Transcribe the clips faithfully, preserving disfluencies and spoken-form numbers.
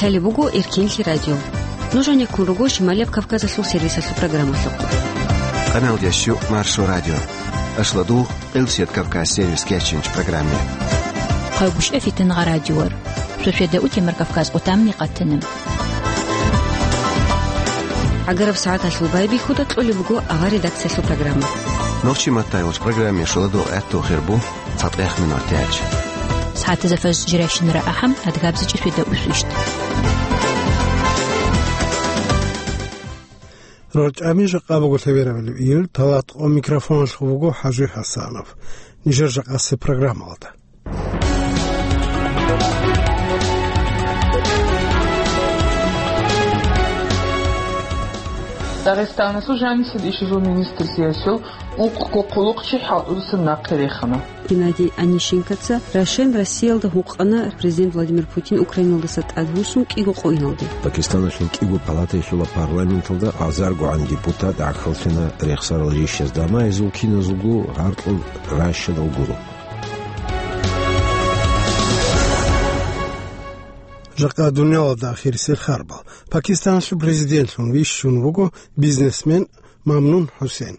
Гьале буго Эркенлъи радио. Нуж гьанеккун руго Шималияб Кавказалъул сервисалъул программалъухъ. Къаналдящу Маршо радио. Ашладу Элсият Кавказ сервис кечинч программе. Хъайбушев Фитен гъа радиор. Шошведа утемар Кавказ отамни къатана. ГӀагараб сагӀаталъул байбихьуда кьолеб буго авар редакциялъул программа. Нохчи маттайулч программе шуладу гӀатту хирбу. ЦатӀех минут тяч. СагӀатазда фаз жирайщинара ахӀам, адгабзичӀи шведа усвищт. РорчӀами жакъа буго лъеберабали ил, талат къо микрофоналъув буго ХӀажи ХӀасанов. Нижер жакъасе программалда. Дагъистаналъул жанисел ишазул министрлъиялъул ункъго хъулухъчи хӀалтӀудасан нахъе рехана. Геннадий Онищенкоца рашен Россиялда гьукъана президент Владимир Путин Украиналдаса тӀадвуссун кӀиго къойиналде. Пакистаналъул кӀиго палатайилъула парламенталда азаргогӀан депутат гӀахьаллъана рехсарал рищазда, амма гьезул киназулго гьаркьул ращадал гуро. Жакъа дуниялалда ахирисел харбал. Пакистаналъул президентлъун вищун вуго бизнесмен Мамнун ХӀусен.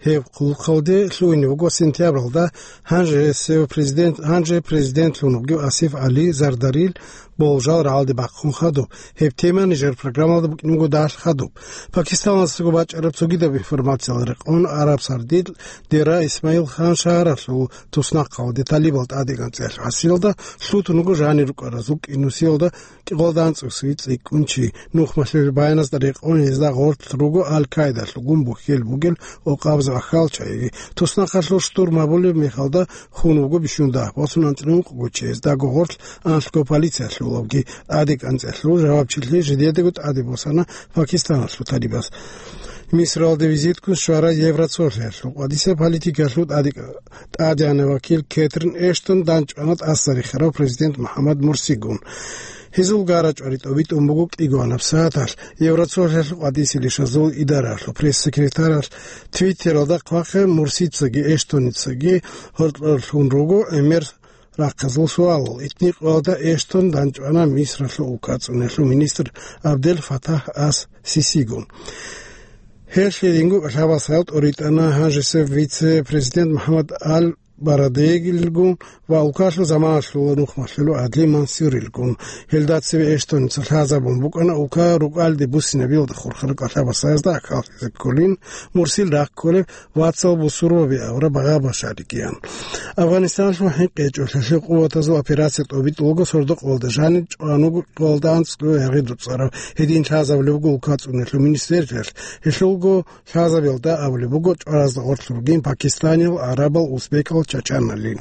Гьеб хъулухъалде лъугьине вуго сентябралда гьанже гьесев президент, гьанже президентлъун вугев Асиф ГӀали Зардарил болжал рагӀалде бахъун хадуб. Гьеб тема нижер программалда букӀин буго далъ хадуб. Пакистаналдасаго бачӀараб цогидаб информациялда рекъон, Араб Сардил Дера Исмаил Хан шагьаралъул туснахъалде талибал тӀадегӀан цӀехӀел гӀасиялда лъутун вуго жанир рукӀаразул кӀинусиялда кӀикъоялда анцӀусей цӀикӀкӀун чи. Нухмалъулел баяназда рекъон гьезда гъорлъ руго Аль-Каидалъул гун бухьел бугел къокъабазул ахьал чагӀиги. Туснахъалъул штурм гьабулеб мехалда хун вуго бищун дагь, босун анцӀила ункъго чи, гьездаго гъорлъ анлъго полициялъулавги тӀадегӀан цӀехӀлъул жавабчилъи жидедаго тӀаде босана Пакистаналъул талибаз. Мисралде визиткун щвара Евроцолъиялъул къватӀиса политикалъул тӀадегӀ-, тӀадегӀанав вакил Кетрин Эштон данчӀвана тӀаса рехарав президент МухӀаммад Мурсигун. Гьезул гара-чӀвари тӀобитӀун буго кӀигоанаб сагӀаталъ. Евроцолъиялъул къватӀисел ишазул идаралъул пресс-секретаралъ Твиттералда хъвахъе Мурсицаги Эштоницаги гьоркьорлъун руго гӀемер рахъазул суалал. Итни къоялда Эштон данчӀвана Мисралъул улкацӀунелъул министр Абдел Фатах Ас Сисигун. Гьелъ гьединго лъабасал тӀоритӀана гьанжесев вице-президент МухӀаммад Аль Барадегилгун ва улкалъул заманалъул нухмалъулев Адли Мансурилгун. Гьелда цеве Эштоница лъазабун букӀана улка рукӀалде буссинабиялда хурхараб кӀалъабасаязда ахӀаллъизе кколин, Мурсил рахъ кколеб вацал бусурбаби авра багъа башаригиян. Афганистаналъул хӀинкъи гьечӀолъиялъе къуватазул операция тӀобитӀулаго сордо-къоялда жаниб чӀвануго къоялда анцӀго ягъи дуцӀараб гьедин лъазабулеб буго улкацӀунелъул министрлъиялъ. Гьелъулго лъазабиялда абулеб буго чӀваразда гъорлъ ругин пакистаниял, гӀарабал, узбекал, чачаналин.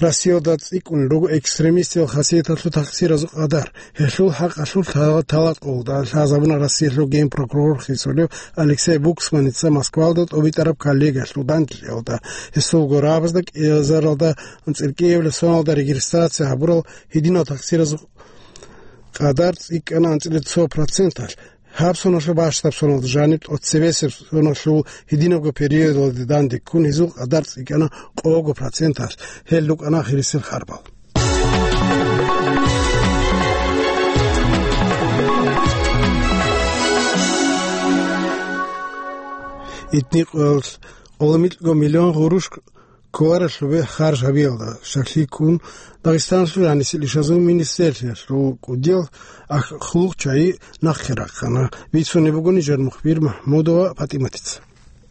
Россиялда цӀикӀкӀунел руго экстремистиял хасияталъул тахсиразул къадар. Гьелъул хӀакъалъулъ талат къоялда лъазабуна Россиялъул генпрокурор хисулев Алексей Буксманица Москвалда тӀобитӀараб коллегиялъул данделъиялда. Гьесул гурабазда кӀиазаралда анцӀила кӀиабилеб соналда регистрация гьабурал гьединал тахсиразул къадар цӀикӀкӀана анцӀила цо проценталъ. Гьаб соналъул бащдаб соналда жаниб тӀоцебесеб соналъул гьединабго периодалде данде ккун гьезул къадар цӀикӀкӀана къого проценталъ. Гьел рукӀана ахирисел харбал. Итни къоялъ къоло микьго миллион гъурущ кколарелъубе харж гьабиялда щаклъи ккун, Дагъистаналъул жанисел ишазул министрлъиялъул кӀудиял ах-, хъулухъчагӀи нахъе рахъана. Бицунеб буго нижер мухбир МахӀмудова ПатӀиматица.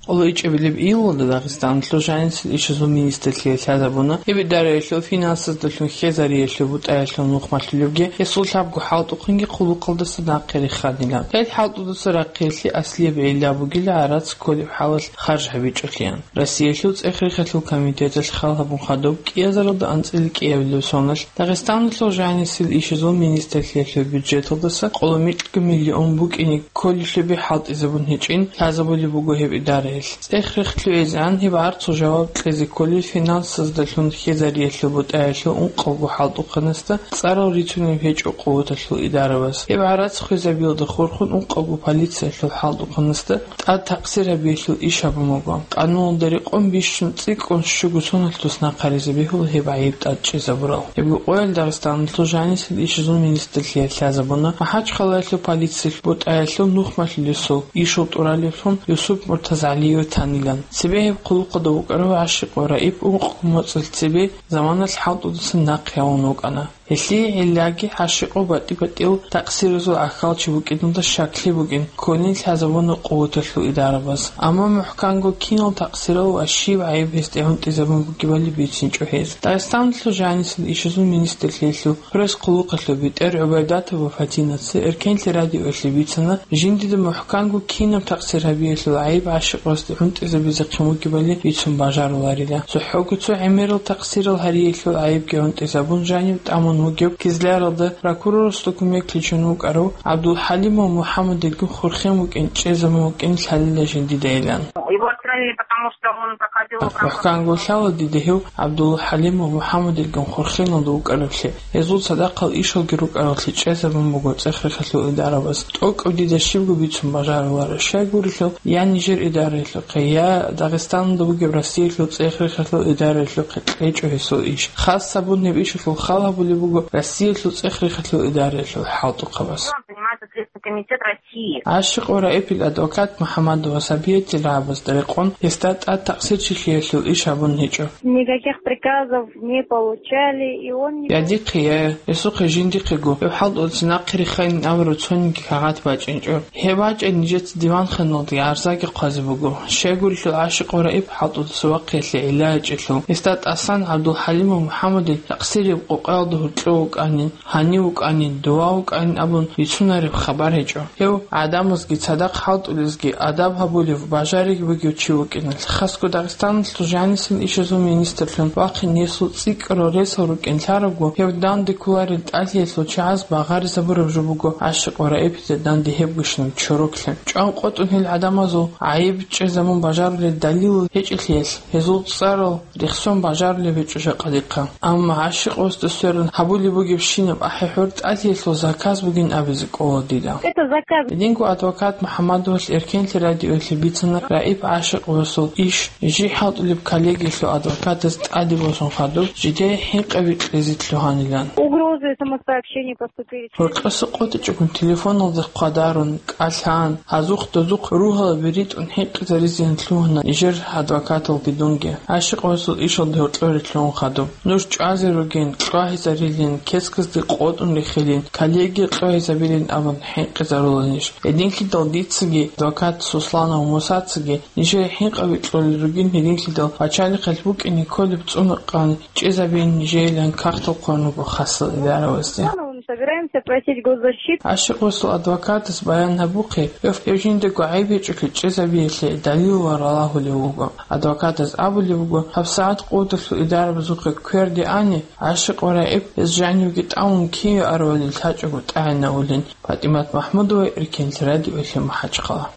Къоло ичӀабилеб июлалда Дагъистаналъул жанисел ишазул министрлъиялъ лъазабуна, гьеб идараялъул финансаздалъун хьезариялъул бутӀаялъул нухмалъулебги, гьесул лъабго хӀалтӀухъинги хъулухъалдаса нахъе реханилан. Гьел хӀалтӀудаса рахъиялъе аслияб гӀилла бугила гӀарац кколеб хӀалалъ харж гьабичӀолъиан. Россиялъул цӀех-рехалъул комитеталъ хал гьабун хадуб кӀиазаралда анцӀила кӀиабилеб соналъ Дагъистаналъул жанисел ишазул министрлъиялъул бюджеталдаса къоло микьго миллион букӀине кколелъубе хӀалтӀизабун гьечӀин лъазабулеб буго гьеб идара. ЦӀех-рехлъугӀизегӀан гьеб гӀарцул жаваб кьезе кколел финансаздалъун хьезариялъул бутӀаялъул ункъавго хӀалтӀухъанасда цӀарал рицунеб гьечӀо къуваталъул идарабаз. Гьеб гӀарац хвезабиялда хурхун ункъавго полициялъул хӀалтӀухъанасда тӀад такъсир гьабиялъул иш гьабун буго. Къануналда рекъон бищун цӀикӀкӀун щуго соналъ тус нахъаризаб бегьула гьеб гӀайиб тӀад чӀезабурал. Гьебго къоялъ Дагъистаналъул жанисел ишазул министрлъиялъ лъазабуна МахӀачхъалаялъул полициялъул бутӀаялъул нухмалъулесул ишал тӀуралевлъун Юсуп МуртазагӀалиев танилан. Цебе гьеб хъулухъалда вукӀарав ГӀашикъов Раиф ункъго моцӀалъ цебе заманалъ хӀалтӀудасан нахъе гьавун вукӀана. Гьелъие гӀиллаги ГӀашикъов батӀи-батӀиял такъсиразул гӀахьалчи вукӀиналда щаклъи букӀин, кколин лъазабуна къуваталъул идарабаз. Амма мухӀканго кинал такъсирал ва щиб гӀайиб гьесде гӀунтӀизабун бугебали бицинчӀо гьез. Дагъистаналъул жанисел ишазул министрлъиялъул пресс-хъулухъалъул бетӀер ГӀубайдатова Фатинаца Эркенлъи радиоялъе бицана, жиндида мухӀканго кинаб такъсир гьабиялъул гӀайиб ГӀашикъовасде гӀунтӀизабизехъин вугебали бицун бажаруларила. ЦохӀого цо гӀемерал такъсирал гьариялъул гӀайибги гӀунтӀизабун жанив тӀамун вугев Кизляралда прокурорасда кумеклъичун вукӀарав ГӀабдулхӀалимов МухӀаммадилгун хурхен вукӀин чӀезабун вукӀин лъалила жиндидайилан. Его отстранили, потому что он проходил в рамках... МухӀканго лъала дида гьев ГӀабдулхӀалимов МухӀаммадилгун хурхеналда вукӀаравлъи, гьезул цадахъал ишалги рукӀаравлъи чӀезабун буго цӀех-рехалъул идарабаз. ТӀокӀаб дида щибго бицун бажаруларо, щайгурелъул я нижер идараялъухъе, я Дагъистаналда бугеб Россиялъул цӀех-рехалъул идараялъухъе кьечӀо гьесул иш. Хас гьабун гьеб ишалъул хал гьабулеб буго Россиялъул цӀех-рехалъул идараялъул хӀалтӀухъабаз. Занимается Следственный комитет России. ГӀашикъов Раифил адвокат МухӀаммадова Сабиятил рагӀабазда рекъон гьесда тӀад такъсирчилъиялъул иш гьабун гьечӀо. Никаких приказов не получали, и он не... Я дихъе, я гьесухъе жиндихъего гьев хӀалтӀулъе нахъе риххайин абураб цониги кагъат бачӀинчӀо. Гьеб бачӀани нижеца диванханалде гӀарзаги хъвазе буго. Щайгурелъул ГӀашикъов Раиф хӀалтӀулъ цо вахъиялъе гӀилла гьечӀелъул, гьесда тӀасан ГӀабдулхӀалимов МухӀаммадил такъсирияб къокъаялда гьоркьов вукӀанин, гьанив вукӀанин, дова вукӀанин абун бицунареб хабар гьечӀо. Гьев гӀадамазги цадахъ хӀалтӀулезги адаб гьабулев, бажариги бугев чи вукӀиналъ, хасго Дагъистаналъул жанисел ишазул министрлъун вахъин гьесул цӀикӀкӀарал ресал рукӀин лъарабго, гьев данде кколарел тӀалъиялъул чагӀаз багъаризабураб жо буго ГӀашикъов Раифида данде гьебгощинаб чороклъи. ЧӀван къотӀун гьел гӀадамазул гӀайиб чӀезабун бажарулел далилал гьечӀелъиялъ, гьезул цӀарал рехсон бажарулеб гьечӀо жакъа дихъа. Амма ГӀашикъовасда сверун гьабулеб бугебщинаб ахӀи-хӀур тӀалъиялъул заказ бугин абизе кӀола дида. Это заказ. Гьединго адвокат МухӀаммадовалъ Эркенлъи радиоялъе бицана Раиф ГӀашикъовасул иш жий хӀалтӀулеб коллегиялъул адвокатаз тӀаде босун хадуб, жидее хӀинкъаби кьезе лъугьанилан. Угрозы самосообщения поступили. Гьоркьоса къотӀичӀогун телефоналда хъвадарун, кӀалъан, гьазухъ-дозухъ ругьалаби ритӀун хӀинкъизаризеян лъугьана нижер адвокаталги дунги. ГӀашикъовасул ишалда гьоркьоре лъугьун хадуб. Нуж чӀвазе ругин, кьвагьизарилин, кесказде къотӀун рехилин, коллегия кьвагьизабилин абун хӀинкъизаруланищ? Гьединлъидал дицаги, адвокат Сусланов Мусацаги нижее хӀинкъаби кьолел ругин, гьединлъидал пачалихъалъ букӀине кколеб цӀунакъан чӀезабин нижеилан кагътал хъван руго хасал идаравазде. Мы собираемся просить госзащиту. ГӀашикъовасул адвокатас баян гьабухъе, гьев, гьев жиндаго гӀайиб гьечӀолъи чӀезабиялъе далилал ралагьулев вуго. Адвокатас абулеб буго, гьабсагӀат къуваталъул идарабазухъе кверде ани, ГӀашикъов Раиф гьес жанивги тӀамун киве аравали лъачӀого тӀагӀинавулин. ПатӀимат МахӀмудова, Эркенлъи радиоялъе, МахӀачхъала.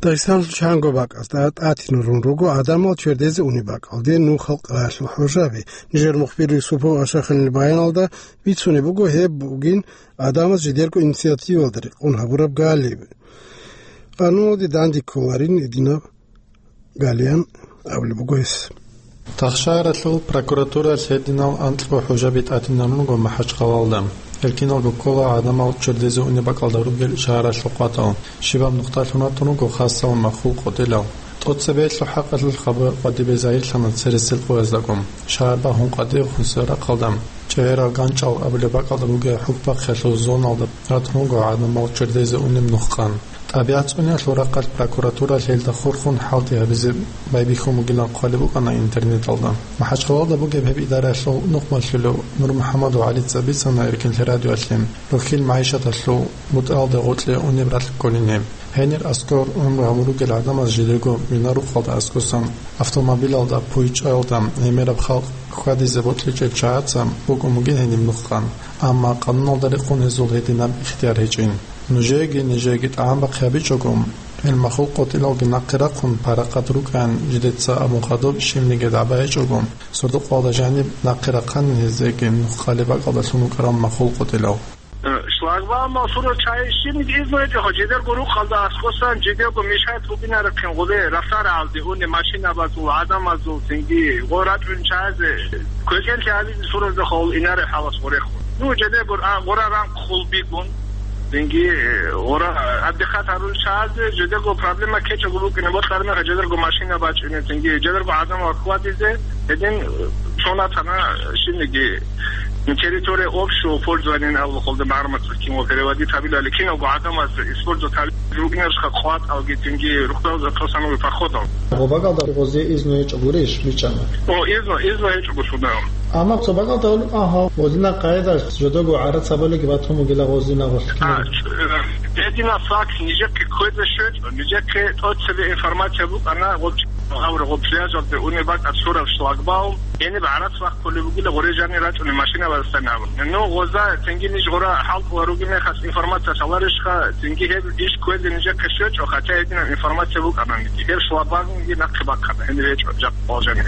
Дагъистаналъул чанго бакӀазда тӀатинарун руго гӀадамал чердезе унеб бакӀалде нух халкъалъул хӀужаби. Нижер мухбир Юсупов Ашаханил баяналда бицунеб буго гьеб бугин гӀадамаз жидерго инициативалда рекъон гьабураб галиб. Къануналде данде кколарин гьединаб галиян абулеб буго гьес. Тахшагьаралъул прокуратураялъ гьединал анкьго хӀужаби тӀатинарун руго МахӀачхъалалда. Гьел киналго ккола гӀадамал чердезе унеб бакӀалда ругел шагьаралъул къватӀал. Щибаб нухталъун ратун руго хасал махул къотӀилал. ТӀоцебесеб хӀакъалъулъ хабар къватӀибе загьирлъана цересел къояздаго. Шагьар багьун къватӀивехун сверахъалда, ЧӀегӀерал ганчӀал абулеб бакӀалда бугеб хӀукбахъиялъул зоналда ратун руго гӀадамал чердезе унеб нухкъан. ТӀабигӀат цӀуниялъул рахъалъ прокуратураялъ гьелда хурхун хӀалтӀи гьабизе байбихьун бугилан хъвалеб букӀана интернеталда. МахӀачхъалалда бугеб гьеб идараялъул нухмалъулев НурмухӀаммадов ГӀалица бицана Эркенлъи радиоялъе, рухьил магӀишаталъул бутӀалда гъоркье унеб ракь кколин гьеб. Гьенир аскӀор гӀумру гьабун ругел гӀадамаз жидерго винарухъалда аскӀосан, автомобилалда, пуйчӀаялда, гӀемераб халкъ хьвадизе бокьичӀел чагӀаца букӀун бугин гьениб нухкъан, амма къануналда рекъон гьезул гьединаб ихтияр гьечӀин. Нужееги нижееги тӀагӀам бахъи гьабичӀого, Гьел махул къотӀилалги нахъе рахъун парахъат рукӀан жидеца абун хадуб, щибниги дагӀба гьечӀого, сордо-къоялда жаниб нахъе рахъанин гьезеги нух къалеб бакӀалдалъун вукӀарал махул къотӀилал. Э, шлагбаумал сурал чагӀи щибниги изну гьечӀо, жидерго рукъалда аскӀосан, жидерго мешать бугинарехъин гъуле, расарагӀалде уни машинабазул, гӀадамазул, цинги гъо рачӀун чагӀазе, квекӀенлъи гьабизе суразда хъул инаре хӀалас гъорехун. Ну, жидерго, а, гъора ранг хъул бигун, цинги, э, гъора, э, абдихъат гьарул чагӀазе, жидерго проблема ккечӀого букӀине, бокьармеха, жидерго машина бачӀине, цинги, жидерго гӀадамал хьвадизе, гьедин, э, цонатана, щибниги, ну, территория общего пользования абулхъулда магӀармат кино переводить гьабилали, киналго гӀадамаз использовать гьабил ругнаршха къватӀалги, цинги рухӀдал затосан походал. Гъобагалда гъозе изну гьечӀо гурищ бичӀчӀана? О, изну, изну гьечӀого суда. Амма цо багалда гьолеб, агьа, гъозина къайда жодого гӀарацабалиги батун бугила гъозина гъолъ. А, ч-, э, гьедина факт нижехъе кквезе щвечӀо, нижехъе тӀоцебе информация букӀана, гъоб-, гъаб-, гъоб пляжалде унеб бакӀа цураб шлагбаум, гьениб гӀарац бахъулеб бугила гъоре жанир рачӀунеб машинабазасан абун. Ну, гъоза цинги ниж гъора хӀалтӀула ругеб мехалъ информация лъаларищха, цинги гьеб иш кквезе нижехъе щвечӀо, хотя гьединаб информация букӀананиги. Гьеб шлагбаумги нахъе бахъана, гьениб гьечӀо, жакъа къвал жанир.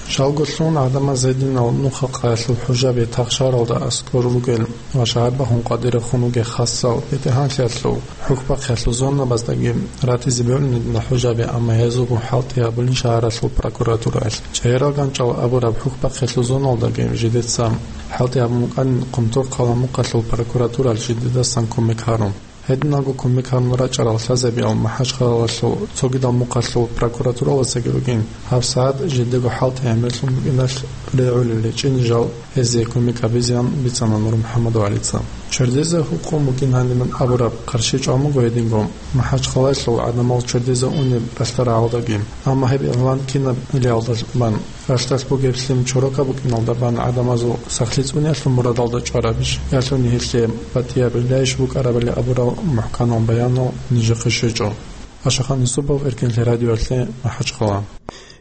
Жалго лъун гӀадамаз гьединал нухал къаялъул хӀужаби тахшаралда аскӀор ругел ва шагьарбахун къватӀирехун ругел хасал бетӀергьанлъиялъул хӀухьбахъиялъул зонабаздаги ратизе бегьулин гьединал хӀужаби, амма гьезулгун хӀалтӀи гьабулин шагьаралъул прокуратураялъ. ЧӀегӀерал ганчӀал абураб хӀухьбахъиялъул зоналдаги жидеца хӀалтӀи гьабун букӀанин Къумторхъала мухъалъул прокуратуралъ жидедасан кумек гьарун. Гьединго кумек гьабун рачӀарал лъазабиял МахӀачхъалалъул цогидал мухъалъул прокуратуралдасаги ругин, гьабсагӀат жидего хӀалтӀи гӀемерлъун букӀиналъ регӀулел речӀчӀине жал гьезие кумек гьабизеян бицана НурмухӀаммадов ГӀалица. Чердезе гьукъун букӀин гьанибан абураб къарщи чӀван буго гьединго, МахӀачхъалалъул гӀадамал чердезе унеб ралъдал рагӀалдаги. Амма гьеб игълан кинабилиялда бан, ралъдалъ бугеб лъим чорока букӀиналда бан гӀадамазул сахлъи цӀуниялъул мурадалда чӀварабищ, ялъуни гьелъие батӀияб гӀилаищ букӀарабали абурал мухӀканал баянал нижехъе щвечӀо. Ашахан Юсупов, Эркенлъи радиоялъе, МахӀачхъала.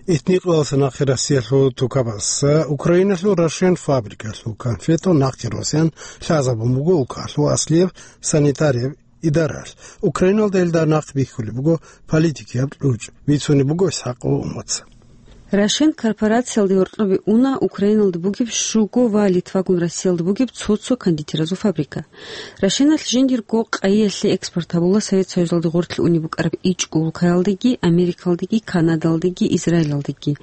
Итникъаласа нахъе Россиялъул тукабас Украиналъул Рошен фабрикалъул конфетал нахъе росян лъазабун буго улкалъул аслияб санитарияб идаралъ. Украиналда илда нахъ бихьулеб буго политикияб кьучӀ, бицунеб буго ИсхӀакъов Умаца. Рошен корпорациялде гьоркьобе уна Украиналда бугеб щуго ва Литвагун Россиялда бугеб цо-цо кондитеразул фабрика. Рошеналъ жиндирго къайиялъе экспорт гьабула Совет Союзалде гъорлъ унеб букӀараб ичӀго улкаялдеги, Америкалдеги, Канадалдеги, Израилалдеги.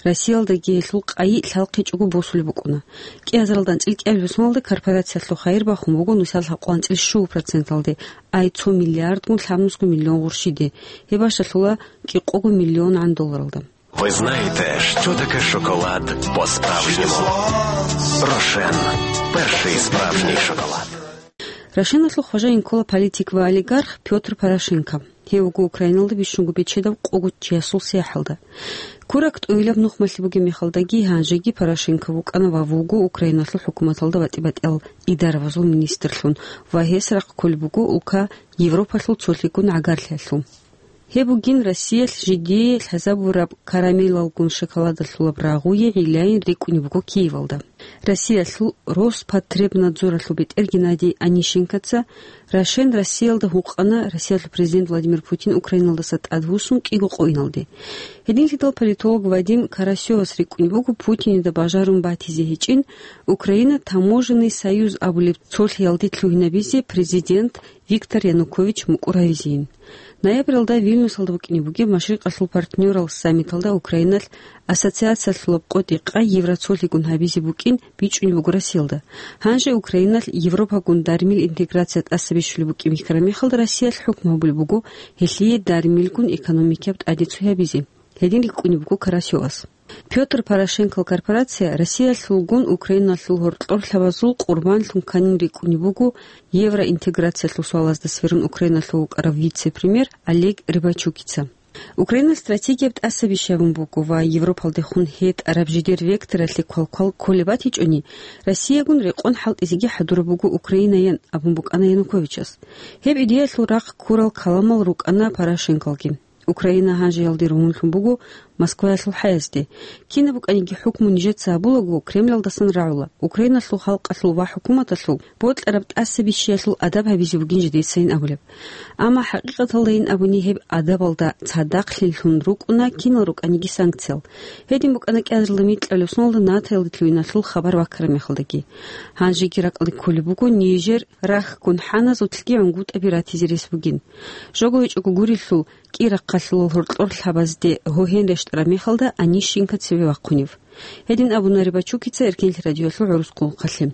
Россиялдаги гьелъул къайи лъалхъичӀого босулеб букӀуна. КӀиазаралда анцӀил кӀиабилеб соналда корпорациялъул хайир бахун буго нусиялъ гьаб-, анцӀил щуго проценталде, ай цо миллиардгун лъабнусго миллион гъурщиде, гьеб бащалъула кӀикъого миллионгӀан долларалда. Ви знаєте, що таке шоколад по-справжньому? Рошен. Перший справжній шоколад. Рошеналъул хважаин ккола политик ва олигарх Пётр Порошенко. Гьев вуго Украиналда бищунго бечедав къого чиясул сахлъалда. Курак тӀуйилаб нухмалъи бугеб мехалдаги гьанжеги Порошенко вукӀана ва вуго Украиналъул хӀукуматалда батӀи-батӀиял идарабазул министрлъун ва гьес рахъ кколеб буго улка Европалъул цолъигун гӀагарлъиялъул. Гьеб бугин Россиялъ жидее лъазабураб карамелалгун шоколадалъулаб рагъуе гӀилаин рикӀкӀунеб буго Киевалда. Россиялъул Роспотребнадзоралъул бетӀер Геннадий Онищенкоца Рошен Россиялда гьукъана Россиялъул президент Владимир Путин Украиналдаса тӀадвуссун кӀиго къоиналде. Гьединлъидал политолог Вадим Карасевас рикӀкӀунеб буго Путинида бажарун батизе гьечӀин Украина таможенный союз абулеб цолъиялде лъугьинабизе президент Виктор Янукович мукӀур гьавизейин. Ноябралда Вильнюсалда букӀине бугеб Машрикъалъул партнёрал саммиталда Украиналъ ассоциациялъулаб къотӀи-къай Евроцолъигун гьабизе букӀин бичӀчӀунеб буго Россиялда. Гьанже Украиналъ Европагун дармил интеграция тӀаса бищулеб букӀин бихьараб мехалда Россиялъ хӀукму гьабулеб буго гьелъие дармилгун экономикияб тӀаде цо гьабизе. Гьедин рикӀкӀунеб буго Карасевас. Пётр Порошенкол корпорация Россиялъулгун Украиналъул гьоркьорлъабазул къурбанлъун кканин рикӀкӀунеб буго евроинтеграциялъул суалазда сверун Украиналъув вукӀарав вице-премьер Олег Рыбачукица. Украиналъ стратегияб тӀаса бищун буго ва Европалдехун гьетӀараб жидер векторалъе квалквал кколеб батичӀони, Россиягун рекъон хӀалтӀизеги хӀадураб буго Украинаян абун букӀана Януковичас. Гьеб идеялъул рахъ ккурал каламал рукӀана Порошенколги. Украина гьанжеялде ругьунлъун буго Москваялъул хӀаязде. Кинаб букӀаниги хӀукму нижеца гьабулаго, Кремлалдасан рагӀула, Украиналъул халкъалъул ва хӀукуматалъул бокьараб тӀаса бищиялъул адаб гьабизе бугин жидецайин абулеб. Амма хӀакъикъаталдайин абуни гьеб адабалда цадахълъинлъун рукӀуна кинал рукӀаниги санкциял. Гьедин букӀана кӀиазарилда микьалев соналда натаялде лъугьиналъул хабар ваккараб мехалдаги. Гьанжеги ракӀалде кколеб буго нижер рахьгун хӀаназулъги гӀунгутӀаби ратизе рес бугин. Жого гьечӀого гурелъул, кӀирахъалъулал гьоркьор лъабазде гьогьен рещтӀараб мехалда Онищенко цеве вахъунев. Гьедин абуна Рыбачукица Эркенлъи радиоялъул гӀурус къулухъалъе.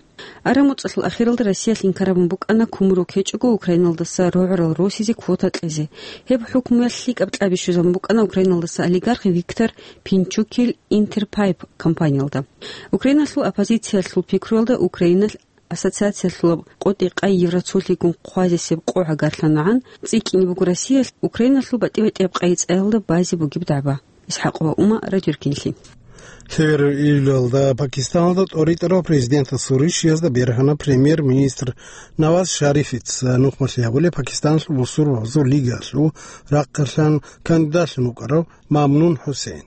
Араб муцӀалъул ахиралда Россиялъ инкарабун букӀана кумурок гьечӀого Украиналдаса рогӀурал росизе квота кьезе. Гьеб хӀукмуялъ лъикӀаб кьаби щвезабун букӀана Украиналдаса олигарх Виктор Пинчукил Интерпайп компаниялда. Украиналъул оппозициялъул пикруялда Украиналъ ассоциациялъулаб къотӀи-къай Евроцолъигун хъвазесеб къо гӀагарлъанагӀан, цӀикӀкӀине буго Россиялъ Украиналъул батӀи-батӀияб къайи-цӀаялда базе бугеб дагӀба. ИсхӀакъова Ума, Радио Эркенлъи. Лъебераб июлалда Пакистаналда тӀоритӀарал президентасул ришиязда бергьана премьер-министр Наваз Шарифица нухмалъи гьабулеб Пакистаналъул бусурбабазул лигалъул рахъалъан кандидатлъун вукӀарав Мамнун ХӀусейн.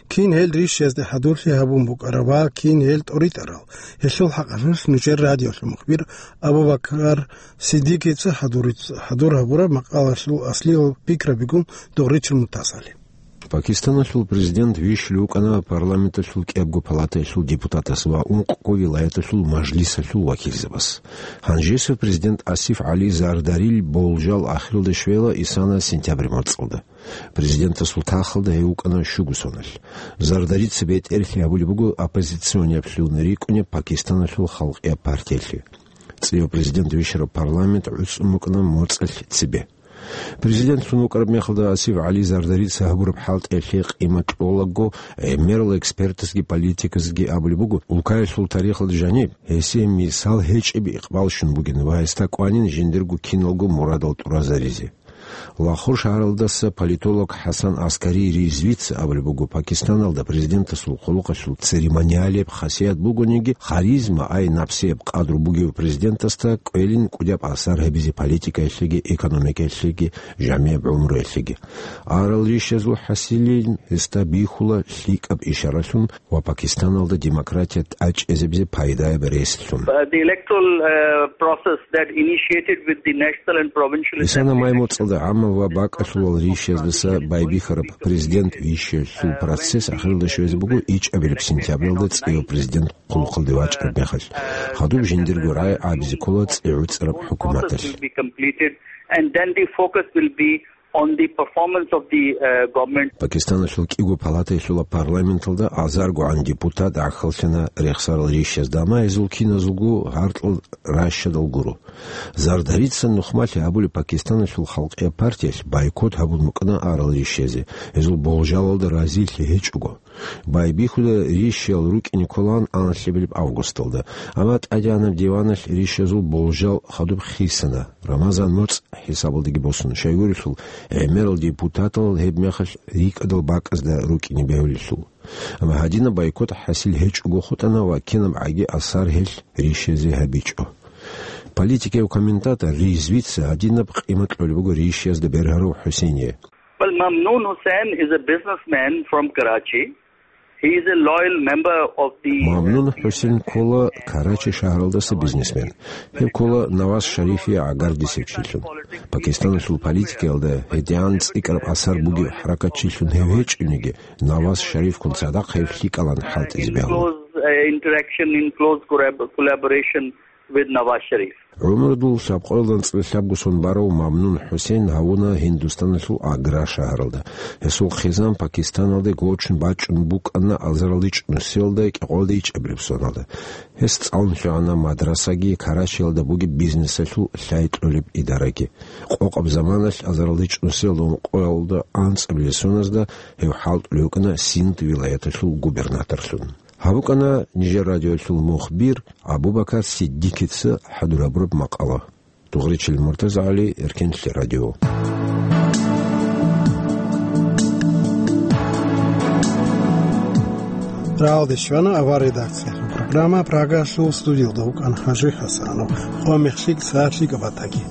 Кин гьел ришиязде хӀадурлъи гьабун букӀарав ва кин гьел тӀоритӀарал, гьелъул хӀакъалъулъ нижер радиолъул мухбир Абу-Бакар Сиддикица хӀадуриц-, хӀадур гьабураб макъалалъул аслиял пикрабигун догъричил мутасали. Пакистаналъул президент вищулев вукӀана парламенталъул кӀиябго палатаялъул депутатас ва ункъго вилаяталъул мажлисалъул вакилзабас. Гьанжесев президент Асиф ГӀали Зардарил болжал ахиралде щвела исана сентябрь моцӀалда. Президентасул тахалда гьев вукӀана щуго соналъ. Зардарица бетӀерлъи гьабулеб буго оппозиционеблъун рикӀкӀунеб Пакистаналъул халкъияб партиялъе. ЦӀияб президент вищараб парламент гӀуцӀун букӀана моцӀалъ цебе. Президентлъун вукӀараб мехалда Асиф ГӀали Зардарица гьабураб хӀалтӀиялъе къимат кьолаго, гӀемерал экспертазги политиказги абулеб буго, улкаялъул тарихалда жаниб гьесие мисал гьечӀеб икъбал щун бугин ва гьесда кӀванин жиндирго киналго мурадал тӀуразаризе. Лахор шагьаралдаса политолог ХӀасан Аскари Ризвица абулеб буго, Пакистаналда президентасул хъулухъалъул церемониалияб хасият бугониги, харизма, ай напсияб къадру бугев президентасда кӀвелин кӀудияб асар гьабизе политикаялъеги, экономикаялъеги, жамияб гӀумруялъеги. Арал ришазул хӀасилин гьесда бихьула лъикӀаб ишаралъун ва Пакистаналда демократия тӀачӀезабизе пайдаяб ресилъун. Uh, the electoral, uh, process that initiated with the national and provincial Исана май моцӀалда гӀаммаб ва бакӀалъулал ришаздаса байбихьараб президент вищиялъул процесс ахиралда щвезе буго ичӀабилеб сентябралда цӀияб президент хъулухъалде вачӀараб мехалъ. Гьадуб жиндирго рагӀи гӀабизе ккола цӀи гӀуцӀараб хӀукуматалъ. Will be completed, and then the focus will be on the performance of the, uh, government. Пакистаналъул кӀиго палатаялъула парламенталда азаргогӀан депутат гӀахьаллъана рехсарал ришазда, амма гьезул киназулго гьаркьал ращадал гуро. Зардарица нухмалъи гьабулеб Пакистаналъул халкъияб партиялъ бойкот гьабун букӀана арал ришазе, гьезул болжалалда разилъи гьечӀого. Байбихьуда ришиял рукӀине кколаан анлъабилеб августалда, амма тӀадегӀанаб диваналъ ришазул болжал хадуб хисана, Рамазан моцӀ хӀисабалдаги босун, щайгурелъул гӀемерал депутатал гьеб мехалъ рикӀкӀадал бакӀазда рукӀине бегьулелъул. Амма гьадинаб бойкот хӀасил гьечӀого хутӀана ва кинаб гӀаги асар гьелъ ришазе гьабичӀо. Политикияв комментатор Ризвица гьадинаб къимат кьолеб буго ришиязда бергьарав ХӀусейние. Well, Mamnoon Hussain is a businessman from Karachi. He is a loyal member of the Мамнун ХӀусейн ккола Карачи шагьаралдаса бизнесмен. Гьев ккола Наваз Шарифие гӀагардисев чилъун. Пакистаналъул политикаялда гьедигӀан цӀикӀкӀараб асар бугев хӀаракатчилъун гьев гьечӀониги, Наваз Шарифгун цадахъ гьев лъикӀалан хӀалтӀизе бегьула. Close, uh, interaction, in close corab-, collaboration with Nawaz Sharif. ГӀумрудул лъабкъоялда анцӀила лъабго сон барав Мамнун ХӀусейн гьавуна Гьиндустаналъул Агра шагьаралда. Гьесул хъизан Пакистаналде гочун бачӀун букӀана азаралда ичӀнусиялда кӀикъоялда ичӀабилеб соналда. Гьес цӀалун лъугӀана мадрасаги, Карачиялда бугеб бизнесалъул лъай кьолеб идараги. Къокъаб заманалъ азаралда ичӀнусиялда ункъоялда анцӀабилеб соназда гьев хӀалтӀулев вукӀана Синд вилаяталъул губернаторлъун. Гьаб букӀана нижер радиоялъул мухбир Абу-Бакар Сиддикица хӀадур гьабураб макъала. Дугъричил МуртазагӀали, Эркенлъи радио. Рагьалде щвана авар редакциялъул программа. Прагалъул студиялда вукӀана ХӀажи ХӀасанов. Къо мехлъи сагӀат лъикӀаб батаги.